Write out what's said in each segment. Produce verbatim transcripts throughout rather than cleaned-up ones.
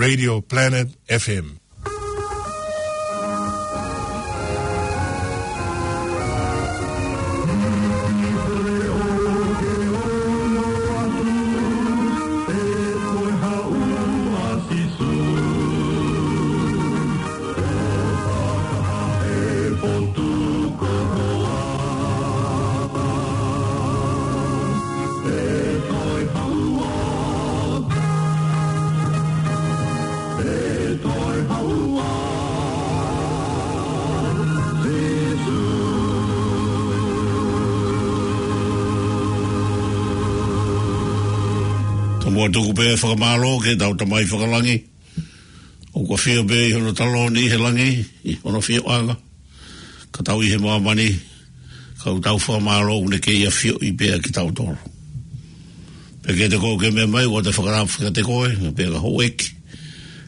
Radio Planet F M. Tomuʻa tuku pē fakamālō ki heʻetau Tamai fakalangi, ʻoku ʻafio pē ʻi hono taloni ʻi he langi, ʻi hono ʻafioʻanga. Ka tau ʻi he māmani, ka ʻoku tau fakamālō ʻoku ne kei ʻafioʻi pē ʻa kitautolu. Pea kiate koe ʻoku ke meʻa mai, ʻoku ou fie fakatapu kiate koe, pea ka houʻeiki.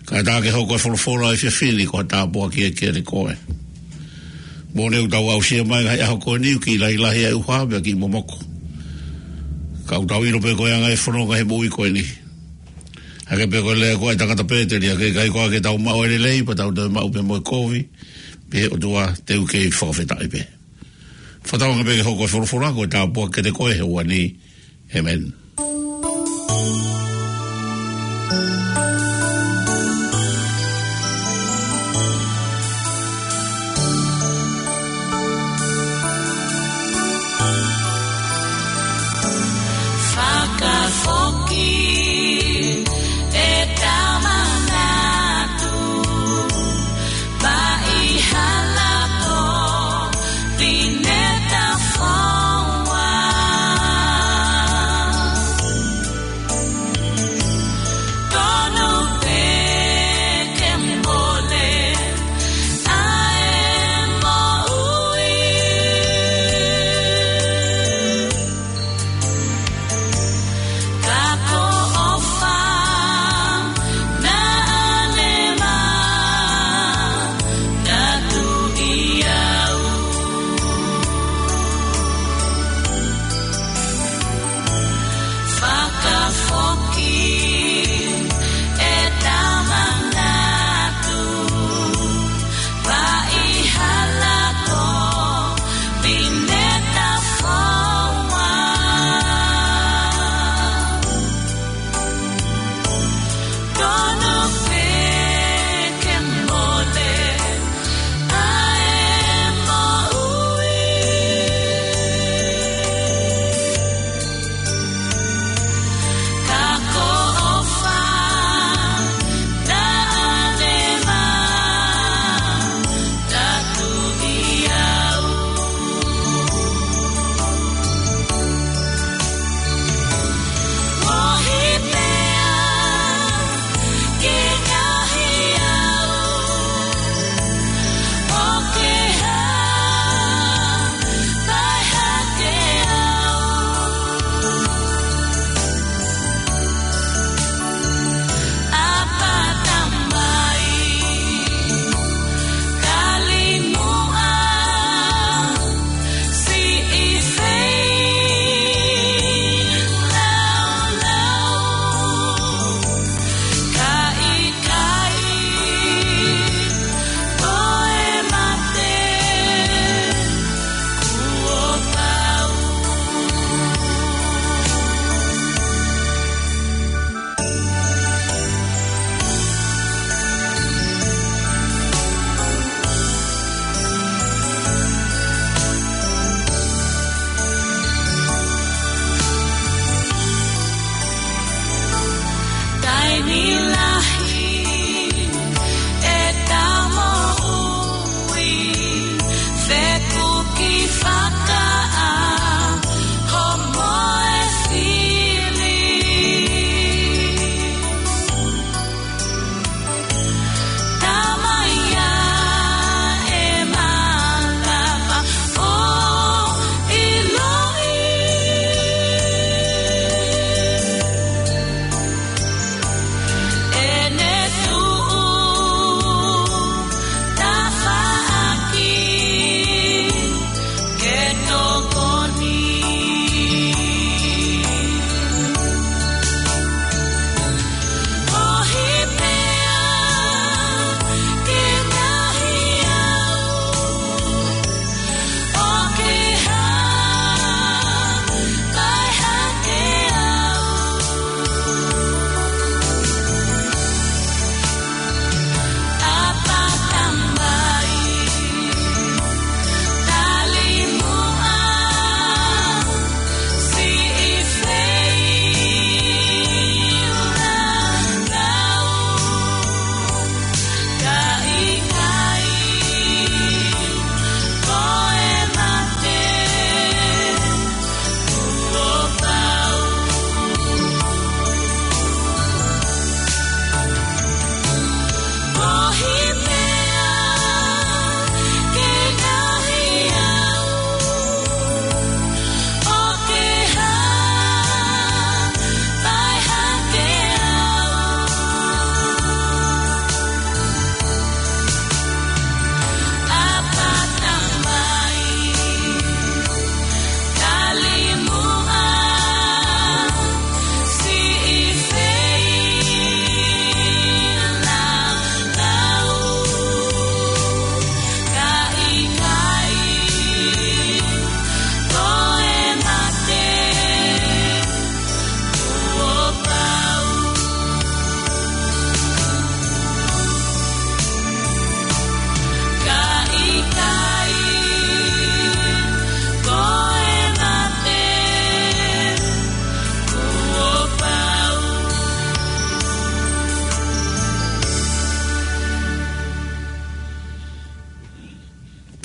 Kae ʻatā ke hoko e folofola ʻo e efiafi ni ko ha tāpuaki kiate koe. Moʻoni ʻoku tau aʻusia mai he ʻaho ko eni, ʻoku kiʻi lahilahi ʻa e ʻuha, pea kiʻi momoko. Ka ʻoku tau ʻilo pē ko e anga e fononga he moʻui ko eni. Hangē pē ko e lea ko ē ʻa e tangata Pēteli, ʻa e ʻikai ko ā ke tau maʻu e lelei, pea tau toe maʻu pē mo e kovi, pea ʻe he ʻOtua te u kei fakafetaʻi pē. Fakatauange pē ke hoko e folofola ko e tāpuaki kiate koe he ʻaho ni. ʻĒmeni. Fakafoki e tama natu, paʻi hala ko Pineta Foua.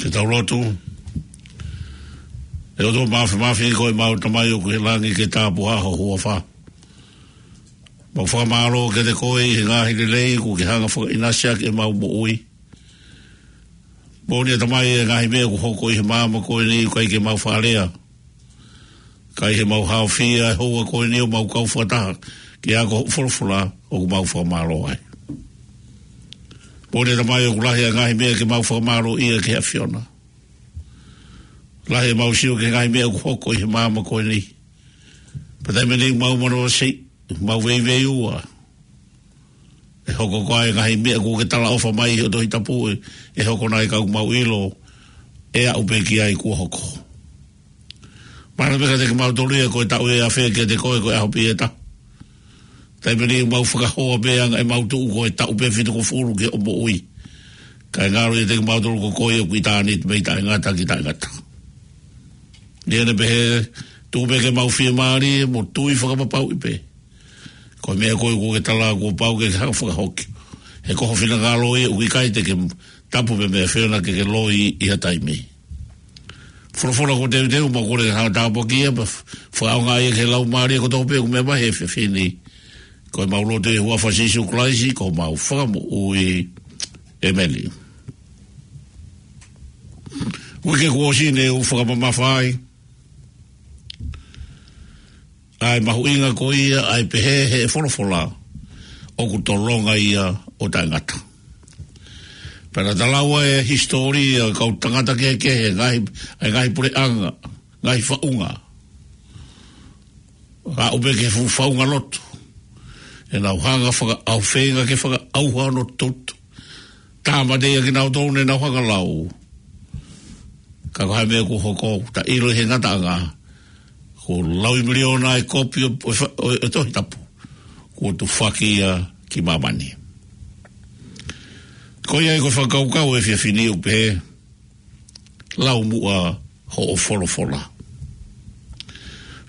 Ke tau lotu. ʻE ʻOtua Māfimafi, ko ʻemau Tamai ʻoku ʻi he langi, ke tāpuhā ho huafa. Mau fakamālō kiate koe ʻi he ngaahi lelei kuo ke hanga ʻo fakaʻinasi ʻaki ʻemau moʻui. Moʻoni ʻa Tamai, ʻa e ngaahi meʻa kuo hoko ʻi he māmani ko eni, ʻoku ʻikai ke mau faʻa lea, ka ʻi heʻemau haofia ʻa e houa ko eni ʻo mau kau fakataha ki he ako hoʻo folofola, ʻoku mau fakamālō ai. Moʻoni ʻa Tamai, ʻoku lahi ʻa e ngaahi meʻa ke mau fakamālōʻia ki he ʻAfiona. Lahi ʻemau sio ki he ngaahi meʻa kuo hoko ʻi he māmani ko eni. Pea taimi ni ʻoku mau manavasiʻi, mau veiveiua. ʻE hoko ko e ngaahi meʻa kuo ke talaʻofa mai ʻi hoʻo Tohi Tapu, ʻe, ʻe hoko nai? Ka ʻoku mau ʻilo, ʻe aʻu pē ki ai kuo hoko. Mahalo pē kiate kimautolu ia ko e taʻu ʻe afe, kiate koe ko e ʻaho pē ia ʻe taha. Taimi ni ʻoku mau fakahoa pē ʻa e ngaahi maʻu tuʻu ko e taʻu pē ʻe fitungofulu ki hoʻo moʻui. Kae ngalo ʻiate kimautolu ko koe ʻoku ʻitāniti mei taʻengata ki taʻengata. Neongo ʻene pehē, tuku pē ke mau fiemālie mo tui fakapapauʻi pē. Ko e meʻa ko ē kuo ke tala kuo pau ke ke hanga ʻo fakahoki. He ko ho finangalo ia, ʻoku ʻikai te ke tapu pē mei he ʻAfiona ke ke loi ʻi ha taimi. Folofola kuo teuteu, mau kole ke hanga ʻo tāpuakiʻi ia, pea fakaʻaongaʻi ia ki he laumālie kotoa pē ʻoku meʻa mai he efiafi ni. Ko ʻemau lotu ʻi he huafa ʻo Sīsū Kalaisi, ko homau Fakamoʻui. ʻĒmeni. Uike kuo ʻosi ne u fakamamafa ai ʻa e mahuʻinga ko ia ʻa e pehē ʻe he folofola, ʻoku tolonga ia ʻo taʻengata. Pea naʻa ta lau ʻa e hisitōlia ʻo e kau tangata kehekehe, ngaahi, ʻa e ngaahi puleʻanga, ngaahi faʻunga. Aʻu pē ki he fuʻu faʻunga lotu. ʻEnau hanga ʻo fakaʻau-, feinga ke fakaʻauha hono toto. Tāmateʻi ʻa kinautolu ne nau hanga ʻo lau. Ka ko e hā e meʻa kuo hoko? Ta ʻilo ʻi he ngataʻanga, kuo laui miliona ʻa e kopi ʻo, ʻo, ʻo, ʻo e Tohi Tapu kuo tufaki ia ki māmani. Ko ia ai ko e fakakaukau ʻo e efiafi ni ʻoku pehē, lau muʻa hoʻo folofola.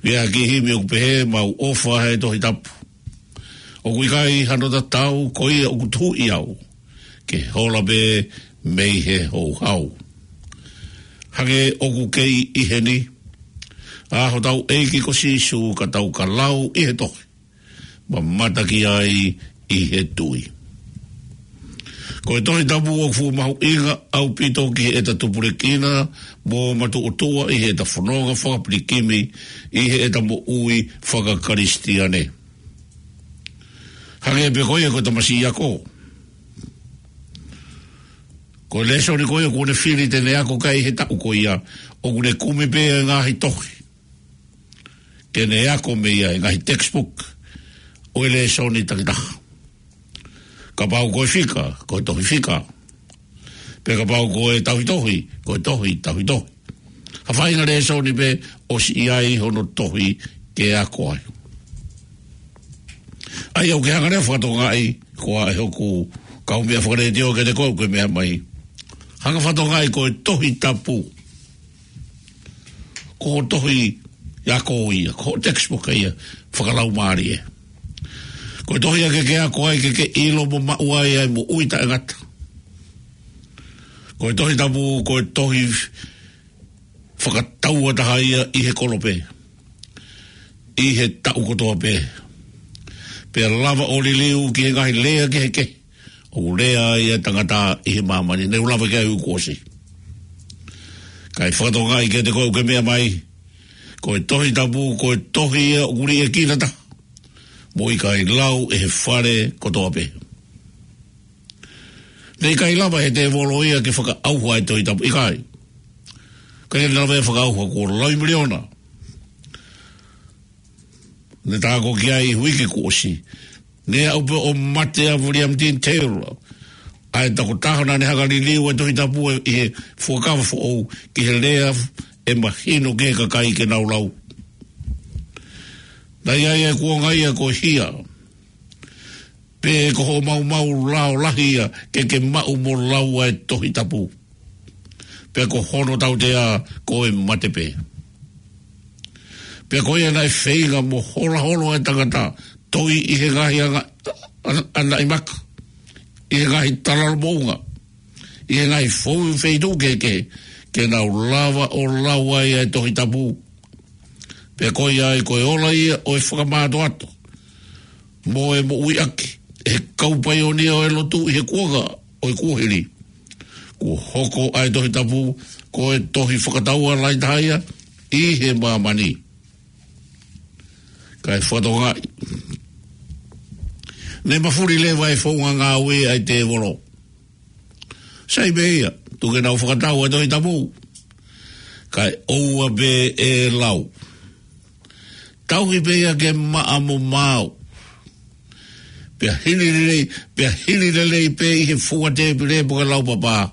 ʻI he kiʻi himi ʻoku pehē, mau ʻofa he Tohi Tapu. ʻOku ʻikai hano tatau, ko ia ʻoku tuhuʻi au ke hola pē mei he houhau. Hangē ʻoku kei ʻi heni ʻa hotau ʻEiki ko Sīsū, ka tau ka lau ʻi he tohi, mamata ki ai ʻi he tui. Ko e Tohi Tapu ʻoku fuʻu mahuʻinga ʻaupito ki heʻeta tupulekina mo matuʻotuʻa ʻi heʻeta fononga fakapilikimi ʻi heʻeta moʻui fakakalisitiane. Hangē pē ko ia ko e tamasiʻi ako. Ko e lēsoni ko ia kuo ne fili te ne ako ki ai he taʻu ko ia, ʻoku ne kumi pē ʻa e ngaahi tohi ke ne ako mei ai, ngaahi textbook ʻo e lēsoni takitaha. Kapau ko e fika, ko e tohi fika. Pea kapau ko e tauhitohi, ko e tohi tauhitohi. Ha faʻahinga lēsoni pē ʻosi ʻi ai hono tohi ke ako ai. ʻAi au ke hanga leva ʻo fakatokangaʻi, ko e hā ʻa hoku kaumeʻa fakalētio kiate koe ʻoku ke meʻa mai. Hanga ʻo fakatokangaʻi ko e Tohi Tapu, ko hoʻo tohi ako ia, ko hoʻo textbook ia fakalaumālie. Ko e tohi ia ke ke ako ai, ke ke ʻilo mo maʻu ai ʻa e moʻui taʻengata. Ko e Tohi Tapu, ko e tohi fakatauʻatāina ia ʻi he kolope, ʻi he taʻu kotoa pē. Pea lava ʻo liliu ki he ngaahi lea kehekehe ʻoku lea ai ʻa e tangata ʻi he māmani. Ne u lave ki ai uike kuo ʻosi. Kae fakatokangaʻi kiate koe ʻoku ke meʻa mai, ko e Tohi Tapu, ko e tohi ia ʻoku liʻekina taha mo ʻikai lau ʻe he fale kotoa pē. Ne ʻikai lava ʻe he tēvolo ia ke fakaʻauha ʻa e Tohi Tapu, ʻikai. Ka ia ne lava ia ʻo fakaʻauha, kuo laui miliona. Ne ta ako ki ai he uike kuo ʻosi. Ne aʻu pē ʻo mate ʻa William Dean Taylor, ʻa e tokotaha naʻa ne hanga ʻo liliu ʻa e Tohi Tapu ʻi he Fuakava Foʻou ki he lea ʻe mahino ki he kakai ke nau lau. Naʻe ʻi ai ʻa e kuonga ia ko e hia pe ko hoʻo maumau lao lahi ia ke ke maʻu mo lau ʻa e Tohi Tapu. Pea ko hono tautea ko e mate pē. Pea ko ia naʻe feinga mo hola holo ʻa e tangata, toi ʻi he ngaahi anga, anga, anaʻi maka, ʻi he ngaahi talalo moʻunga, ʻi he ngaahi foʻi feituʻu kehekehe, ke nau lava ʻo lau ai ʻa e Tohi Tapu. Pea ko ia ai ko e ola ia ʻo e fakamātoato mo e moʻuiʻaki ʻe he kau paionia ʻo e lotu ʻi he kuonga ʻo e kuohili. Kuo hoko ʻa e Tohi Tapu ko e tohi fakataua lahi taha ia ʻi he māmani. Kae fakatokangaʻi, ne mafuli leva e founga ngāue ʻa e tēvolo. Sai pē ia, tuku ke nau fakatau ʻa e Tohi Tapu, kae ʻoua pē ʻe lau. Tauhi pē ia ke maʻa mo maau. Pea hili lelei, pea hili lelei pē ʻi he fua tēpile pe ko e laupapā.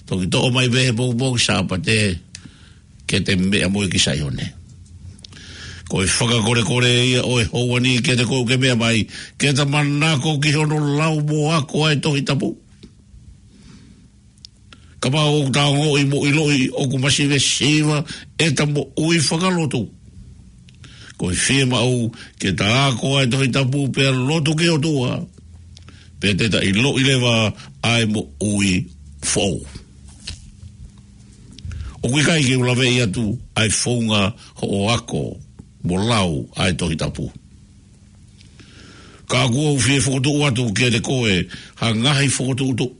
Toki toʻo mai pē he pongipongi Sāpate, ke te meʻa mo ia ki Saione. Ko e fakakolekole ia ʻo e houa ni kiate koe ʻoku ke meʻa mai, ke ta manako ki hono lau mo ako ʻa e Tohi Tapu. Kapau ʻoku ta ongoʻi mo ʻiloʻi ʻoku masivesiva ʻeta moʻui fakalotu, ko e fiemaʻu ke ta ako ʻa e Tohi Tapu pea lotu ki he ʻOtua, pea te ta ʻiloʻi leva ʻa e moʻui foʻou. ʻOku ʻikai ke u laveʻi atu ʻa e founga hoʻo ako mo lau ʻa e Tohi Tapu. Ka ʻoku ou fie fokotuʻu atu kiate koe ha ngaahi fokotuʻutuʻu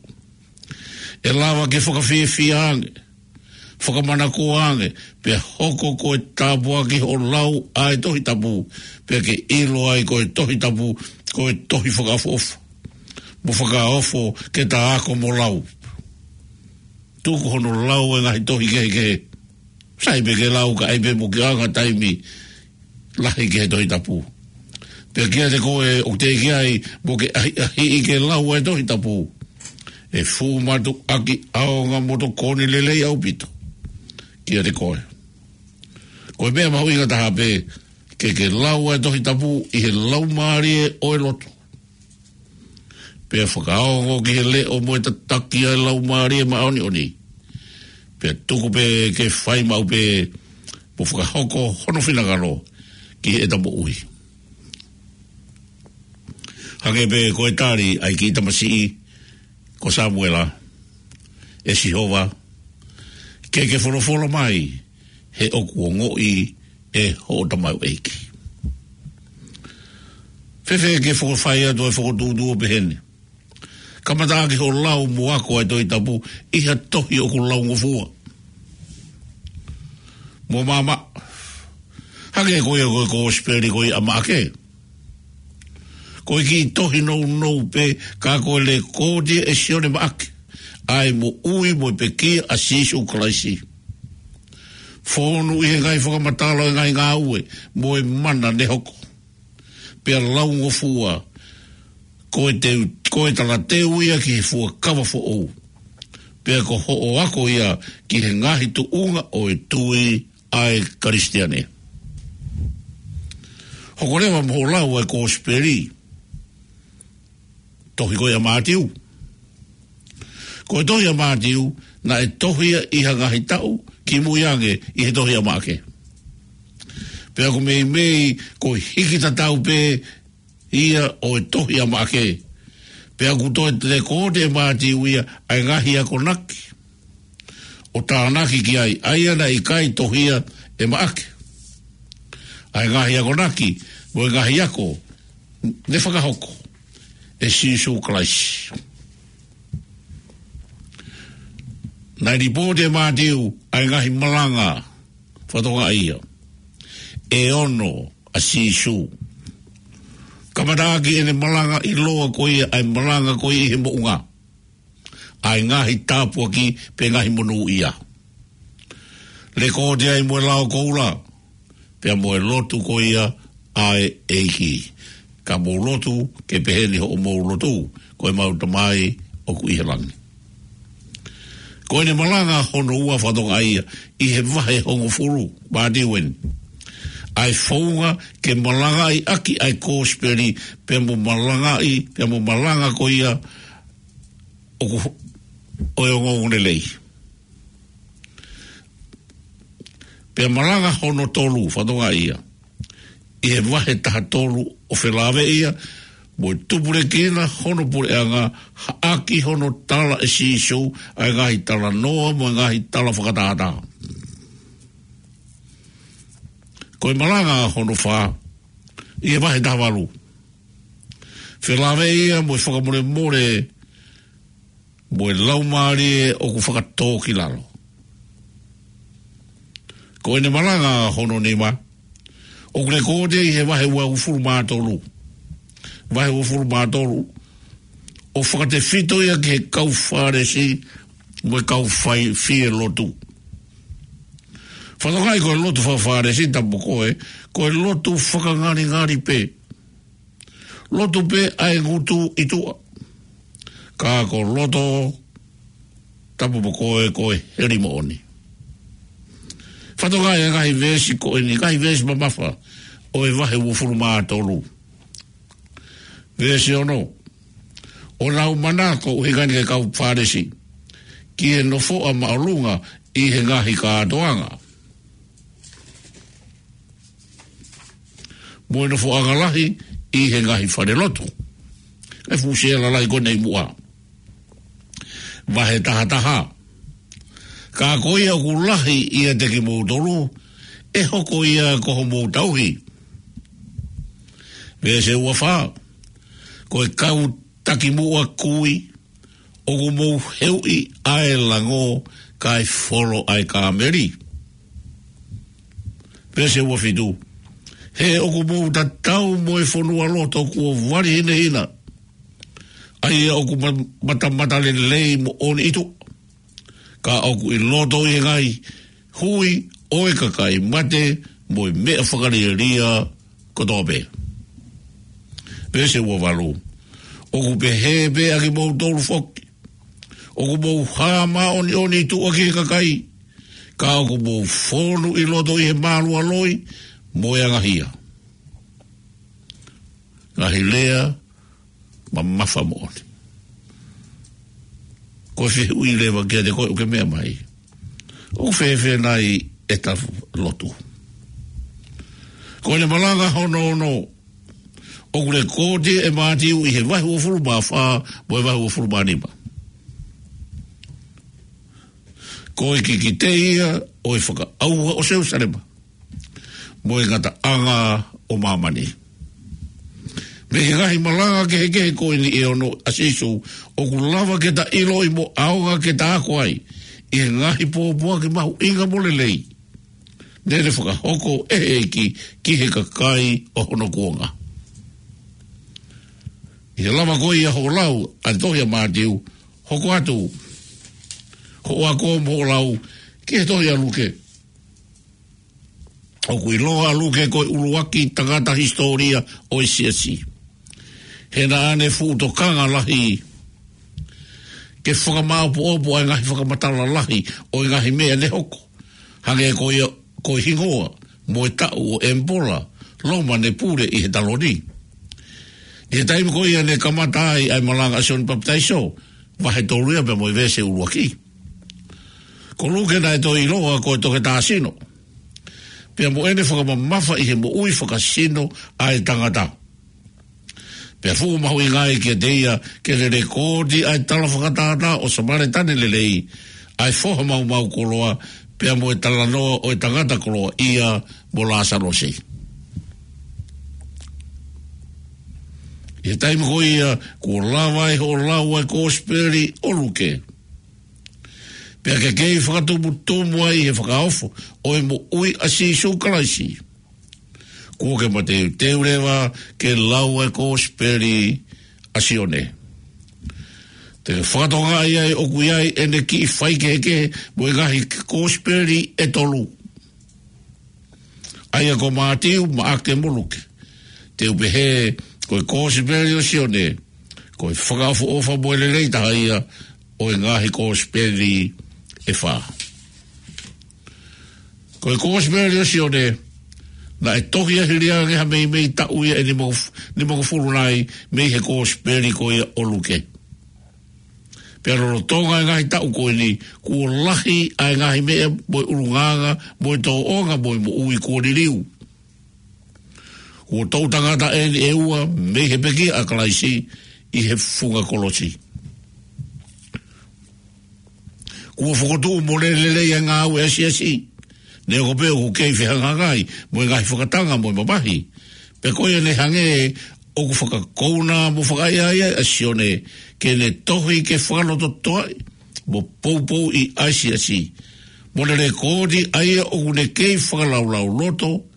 ʻe lava ke fakafiefia ange, fakamanakoa ange, pea hoko ko e tāpuaki hoʻo lau ʻa e Tohi Tapu, pea ke ʻilo ai ko e Tohi Tapu ko e tohi fakaʻofoʻofa mo fakaofo ke ta ako mo lau. Tuku hono lau e ngaahi tohi kehekehe. Sai pē ke lau, ka ʻai pē mo ke ʻoange taimi lahi ki he Tohi Tapu. Pea kiate koe ʻoku teʻeki ai mo ke ʻahiʻahiʻi ke lau e Tohi Tapu, ʻe fuʻu mātuʻaki ʻaonga mo tokoni lelei ʻaupito kiate koe. Ko e meʻa mahuʻinga taha pē ke ke lau e Tohi Tapu ʻi he laumālie ʻo e lotu, pea fakaongo ki he leʻo mo e tataki ʻa e Laumālie Māʻoniʻoni, pea tuku pē ke fai maʻu pē mo fakahoko hono finangalo ki heʻeta moʻui. Hangē pē ko e tali ʻa e kiʻi tamasiʻi ko Samuela: ʻE Sihova, ke ke folofola mai, he ʻoku ongoʻi ʻe hoʻo tamaioʻeiki. Fēfē ke fakafai atu e fokotuʻutuʻu ʻo pehē ni: Kamataʻaki hoʻo lau mo ako ʻa e Tohi Tapu ʻi ha tohi ʻoku laungofua mo maʻamaʻa. Hangē ko ia ko e Kosipeli ko ia ʻa Maʻake. Ko e kiʻi tohi nounou pē, ka ko e lekooti ʻe Sione Maʻake ʻa e moʻui mo e pekia ʻa Sīsū Kalaisi, fonu ʻi he ngaahi fakamatala ʻo e ngaahi ngāue mo e mana ne hoko, pea laungofua. Ko e teu, ko e talateu ia ki he fuakava foʻou, pea ko hoʻo ako ia ki he ngaahi tuʻunga ʻo e tui ʻa e Kalisitiane. Hoko leva mo hoʻo lau e Kosipeli, tohi ko ia ʻa Mātiu. Ko e tohi ʻa Mātiu naʻe tohi ia ʻi ha ngaahi taʻu kimui ange ʻi he tohi ʻa Maʻake. Pea ʻoku meimei ko e hiki tatau pē ia ʻo e tohi ʻa Maʻake. Pea ʻoku toe lekooti ʻe Mātiu ia ʻa e ngaahi akonaki ʻo tānaki ki ai, ʻa ia naʻe ʻikai tohi ia ʻe Maʻake. ʻA e ngaahi akonaki mo e ngaahi ako ne fakahoko ʻe Sīsū Kalaisi. Naʻe lipooti ʻe Mātiu ʻa e ngaahi malanga, fakatokangaʻi ia, ʻe ono ʻa Sīsū. Kamataʻaki ʻene malanga ʻiloa ko ia, ʻa e malanga ko ia ʻi he moʻunga, ʻa e ngaahi tāpuaki pe ngaahi monūʻia. Lekooti ai mo e lao koula, pea mo e lotu ko ia ʻa e ʻEiki. Ka mou lotu ke pehē ni hoʻomou lotu: Ko ʻemau Tamai ʻoku ʻi he langi. Ko ʻene malanga hono ua, fakatokangaʻi ia, ʻi he vahe hongofulu, Mātiu eni, ʻa e founga ke malangaʻi ʻaki ʻa e Kosipeli, pea mo malangaʻi, pea mo malanga ko ia ʻoku, ʻo e ongoongolelei. Pea malanga hono tolu, fakatokangaʻi ia, ʻi he vahe taha tolu ʻo felāveʻi ia mo e tupulekina hono puleʻanga, ʻaki hono tala ʻe Sīsū ʻa e ngaahi talanoa mo e ngaahi tala fakatātā. Ko e malanga hono fā ʻi he vahe taha valu, felāveʻi ia mo e fakamolemole mo e laumālie ʻoku fakatōkilalo. Ko ʻene malanga hono nima, ʻoku lekooti ʻi he vahe uofulu mā tolu. Vahe uofulu mā tolu, ʻo fakatefito ia ki he kau Fālesi mo e kau fai fie lotu. Fakatokangaʻi ko e lotu faka-Fālesi, tapu mo koe, ko e lotu fakangalingali pē. Lotu pē ʻa e ngutu ʻi tuʻa. Ka ko e loto, tapu mo koe, ko e heli moʻoni. Fakatokangaʻi ʻa e ngaahi veesi ko eni, ngaahi veesi mamafa ʻo e vahe uofulu mā tolu. Veesi ono, ʻo nau manako, ʻuhinga eni ki he kau Fālesi, ki he nofoʻa māʻolunga ʻi he ngaahi kātoanga, mo e nofoʻanga lahi ʻi he ngaahi falelotu. ʻE fuʻu sēlalahi ko eni ʻi muʻa. Vahe taha taha. Ka ko ia ʻoku lahi ʻiate kimoutolu, ʻe hoko ia ko homou tauhi. Veesi ua fā. Ko e kau takimuʻa kui, ʻoku mou heuʻi ʻa e lango kae folo ʻa e kāmeli. Veesi ua fitu. He ʻoku mou tatau mo e fonualoto kuo vali hinehina, ʻa ia ʻoku ma-, matamatalelei moʻoni ʻi tuʻa, ka ʻoku ʻi loto ʻi he ngaahi hui ʻo e kakai mate mo e meʻa fakalielia kotoa pē. Veesi ua valu. ʻOku pehē pē ʻa kimoutolu foki. ʻOku mou hā māʻoniʻoni ʻi tuʻa ki he kakai, ka ʻoku mou fonu ʻi loto ʻi he mālualoi mo e angahia. Ngaahi lea mamafa moʻoni. Ko e fehuʻi leva kiate koe ʻoku ke meʻa mai, ʻoku fēfē nai ʻeta lotu? Ko ʻene malanga hono ono, ʻoku lekooti ʻe Mātiu ʻi he vahe uofulu mā fā mo e vahe uofulu mā nima. Ko e kikite ia ʻo e fakaʻauha ʻo Selūsalema mo e ngataʻanga ʻo māmani. Mei he ngaahi malanga kehekehe ko eni ʻe ono ʻa Sīsū, ʻoku lava ke ta ʻiloʻi mo ʻaonga ke ta ako ai ʻi he ngaahi pōpoaki mahuʻinga mo lelei naʻe fakahoko ʻe he ʻEiki ki he kakai ʻo hono kuonga. ʻI he lava ko ia hoʻo lau ʻa e tohi ʻa Mātiu, hoko atu hoʻo ako mo hoʻo lau ki he tohi ʻa Luke. ʻOku ʻiloa ʻa Luke ko e ʻuluaki tangata hisitōlia ʻo e siasi. He naʻa ne fuʻu tokanga lahi ke fakamāopoopo ʻa e ngaahi fakamatala lahi ʻo e ngaahi meʻa ne hoko, hangē ko ia ko e hingoa mo e taʻu ʻo e ʻemipola Loma ne pule ʻi he taloni. ʻI he taimi ko ia ne kamata ai ʻa e malanga ʻa Sione Papitaiso, vahe tolu ia pea mo e veesi ʻuluaki. Ko Luke naʻe toe ʻiloa ko e toketā sino, pea mo ʻene fakamamafa ʻi he moʻui fakasino ʻa e tangata. Pea fuʻu mahuʻinga ai kiate ia ke ne lekooti ʻa e tala fakatātā ʻo Samaletane lelei, ʻa e foha maumau koloa, pea mo e talanoa ʻo e tangata koloaʻia mo Lāsalosi. ʻI he taimi ko ia kuo lava ai hoʻo lau ʻa e Kōsipeli ʻo Luke, pea ke kei fakatumutumu ai he fakaofo ʻo e moʻui ʻa Sīsū Kalaisi, kuo ke mateuteu leva ke lau ʻa e Kōsipeli ʻa Sione. Te ke fakatokangaʻi ai ʻoku ʻi ai ʻene kiʻi faikehekehe mo e ngaahi Kōsipeli ʻe tolu, ʻa ia ko Mātiu, Maʻake mo Luke. Te u pehē ko e Kōsipeli ʻo Sione ko e fakaʻofoʻofa mo e lelei taha ia ʻo e ngaahi Kōsipeli ʻe fā. Ko e Kōsipeli ʻo Sione naʻe tohi ʻi he hili ange ha meimei taʻu ia ʻe nimangofulu nai mei he Kōsipeli ko ia ʻo Luke. Pea lolotonga e ngaahi taʻu ko eni, kuo lahi ʻa e ngaahi meʻa mo e ʻulungaanga mo e tōʻonga mo e moʻui kuo liliu. Kuo toʻu tangata eni ʻe ua mei he pekia ʻa Kalaisi ʻi he funga kolosi. Kuo fokotuʻu mo lele lelei ʻa e ngāue ʻa e siasi, neongo pē ʻoku kei fehangahangai mo e ngaahi fakatanga mo e mamahi. Pea ko ia ne hangē ʻoku fakakouna mo fakaʻaiʻai ai ʻa Sione ke ne tohi ke fakalototoʻaʻi mo poupouʻi ʻa e siasi, mo ne lekooti ʻa ia ʻoku ne kei fakalaulauloto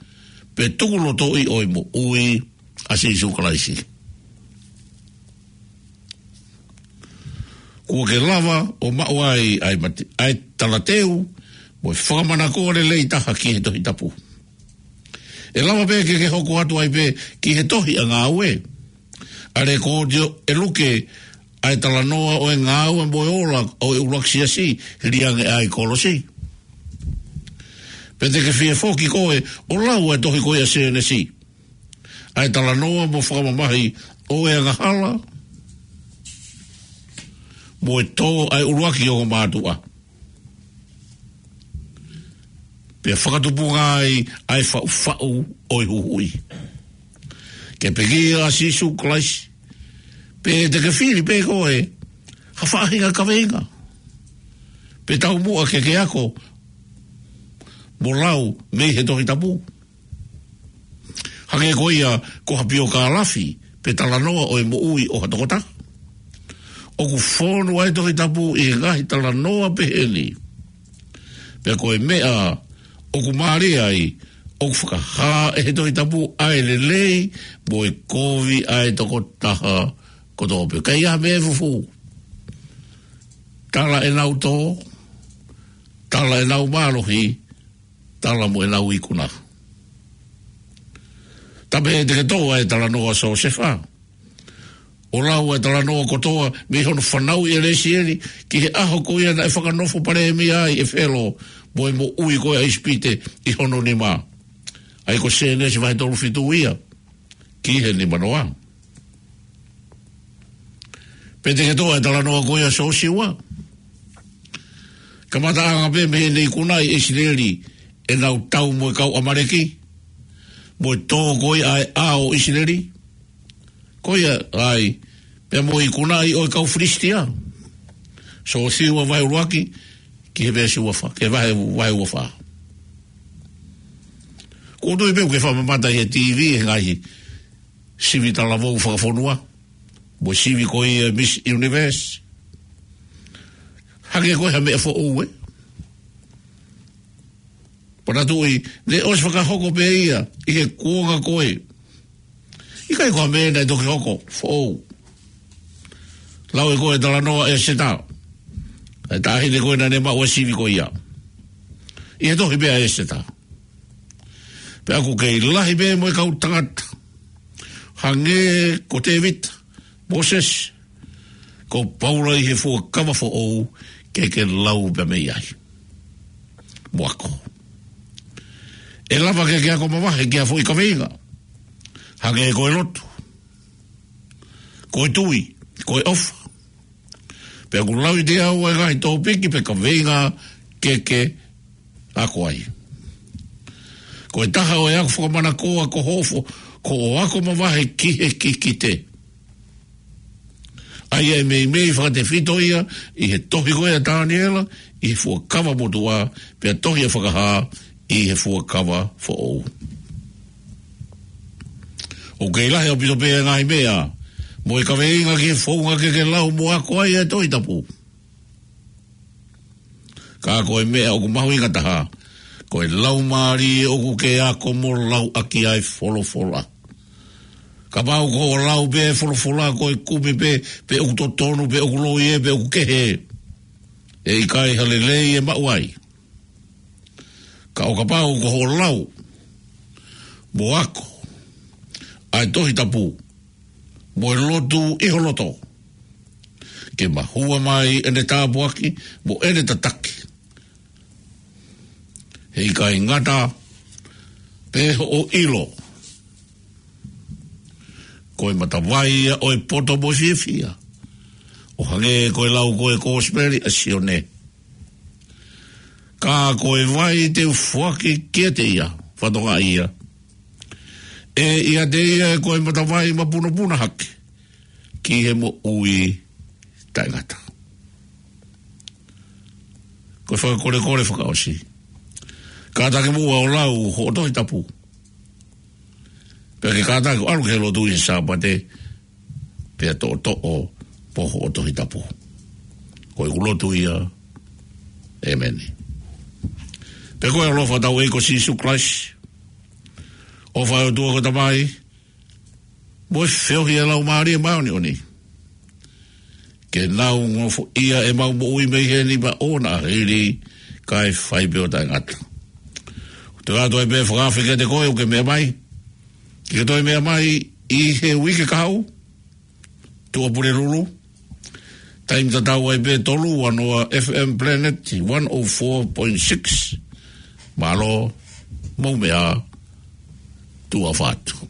pe tukulotoʻi ʻo e moʻui ʻa Sīsū Kalaisi. Kuo ke lava ʻo maʻu ai ʻa e mate-, ʻa e talateu mo e fakamanakoa lelei taha ki he Tohi Tapu. ʻE lava pē ke ke hoko atu ai pē ki he tohi ʻa Ngāue, ʻa e lekooti ʻe Luke ʻa e talanoa ʻo e ngāue mo e ola ʻo e ʻuluaki siasi, hili ange ʻa e kolosi. Pe te ke fie foki koe ʻo lau ʻa e tohi ko ia ʻa Sēnesi, ʻa e talanoa mo fakamamahi ʻo e angahala mo e tō ʻa e ʻuluaki ongo mātuʻa, pea fakatupunga ai ʻa e faʻufaʻu ʻo e huhuʻi. Ke pekia ʻa Sīsū Kalaisi, pe te ke fili pē koe ha faʻahinga kaveinga, pe taumuʻa ke ke ako mo lau mei he Tohi Tapu. Hangē ko ia ko ha piokālafi pe talanoa ʻo e moʻui ʻo ha tokotaha. ʻOku fonu ʻa e Tohi Tapu ʻi he ngaahi talanoa pehē ni. Pea ko e meʻa ʻoku mālie ai, ʻoku fakahā ʻe he Tohi Tapu ʻa e lelei mo e kovi ʻa e tokotaha kotoa pē. ʻIkai ha meʻa ʻe fufū. Tala ʻenau tō, tala ʻenau mālohi, tala mo ʻenau ikuna. Tapu pē te ke toʻo ʻa e talanoa ʻa Siosefa, ʻo lau ʻa e talanoa kotoa mei hono fanauʻi ʻe Lesieli ki he ʻaho ko ia naʻe fakanofo palēmia ai ʻe Felo mo e moʻui ko ia ʻa ʻIsipite ʻi hono nima. ʻA ia ko Sēnesi vahe tolu fitu ia ki he nima noa. Pe te ke toʻo ʻa e talanoa ko ia ʻa Siosiua, kamataʻanga pē mei heʻene ikunaʻi ʻe ʻIsileli ʻenau tau mo e kau ʻAmaleki, mo e tō ko ia ʻa e ʻao ʻo ʻIsileli, ko ia ai, pea mo e ikunaʻi ʻo e kau Filisitia. Siosiua vahe ʻuluaki ki he veesi ua fā, ki he vahe, vahe ua fā. Ko u tui pē ʻoku ke fakamamata ʻi he T V he ngaahi sivi talavou fakafonua, mo e sivi ko ia ʻa e Miss Universe. Hangē ko ha meʻa foʻou ē. Pea naʻa tuʻu ʻi, ne ʻosi fakahoko pē ia ʻi he kuonga ko ē. ʻIkai ko ha meʻa naʻe toki hoko foʻou. Lau ʻe koe ʻa e talanoa ʻa ʻEseta, ʻa e taʻahine ko ē naʻa ne maʻu ʻa e sivi ko ia ʻi he tohi pē ʻa ʻEseta. Pea ʻoku kei lahi pē mo e kau tangata hangē ko Tēvita, Mōsese, ko Paula ʻi he fuakava foʻou ke ke lau pē mei ai mo ako. ʻE lava ke ke ako mavahe ki ha foʻi kaveinga, hangē ko e lotu, ko e tui, ko e ʻofa. Pea ʻoku lau ʻe au ʻa e ngaahi tōpiki pe kaveinga ke ke ako ai. Ko e taha ʻo e ako fakamanakoa ko hoʻo fo-, ko hoʻo ako mavahe ki he kikite. ʻA ia ʻe meimei fakatefito ia ʻi he tohi ko ia ʻa Taniela ʻi he fuakava motuʻa, pea tohi ʻa Fakahā ʻi he fuakava foʻou. ʻOku kei lahi ʻaupito pē ʻa e ngaahi meʻa mo e kaveinga ki he founga ke ke lau mo ako ai ʻa e Tohi Tapu. Ka ko e meʻa ʻoku mahuʻinga taha, ko e laumālie ʻoku ke ako mo lau ʻaki ʻa e folofola. Kapau ko hoʻo lau pē ʻa e folofola ko e kumi pē, pe ʻoku totonu, pe ʻoku loi ē, pe ʻoku kehe, ʻe ʻikai ha lelei ʻe maʻu ai. Ka ʻo kapau ko hoʻo lau mo ako ʻa e Tohi Tapu mo e lotu ʻi ho loto, ke mahua mai ʻene tāpuaki mo ʻene tataki, he ʻikai ngata pē hoʻo ʻilo, ko e matavai ia ʻo e poto mo e fiefia, ʻo hangē ko e lau ko ē ʻa e Kosipeli ʻa Sione. Ka ko e vai te u foaki kiate ia, fatongia ia, ʻE ʻiate ia ʻa e matavai mapunopuna hake ki he moʻui taʻengata. Ko e fakakolekole fakaʻosi. Kātaki muʻa ʻo lau hoʻo Tohi Tapu. Pea ke kātaki ʻo ʻalu ki he lotu ʻi he Sāpate, pea toʻotoʻo mo hoʻo Tohi Tapu. Ko ʻeku lotu ia. ʻĒmeni. Pea ko e ʻaloʻofa ʻa hotau ʻEiki ko Sīsū Kalaisi, ʻofa ʻa e ʻOtua ko e Tamai, mo e feohi ʻa e Laumālie Māʻoniʻoni, ke nau nofoʻia ʻemau moʻui mei heni pea ʻoua naʻa hili, kae fai pē ʻo taʻengata. Toe ʻoatu ai pē e fakaafe kiate koe ʻoku ke meʻa mai, ke ke toe meʻa mai ʻi he uike kahaʻu, Tuʻapulelulu, taimi tatau ai pē tolu ua noa F M Planet one oh four point six. Mālō, mou meʻa ā, tuʻa ʻofa atu.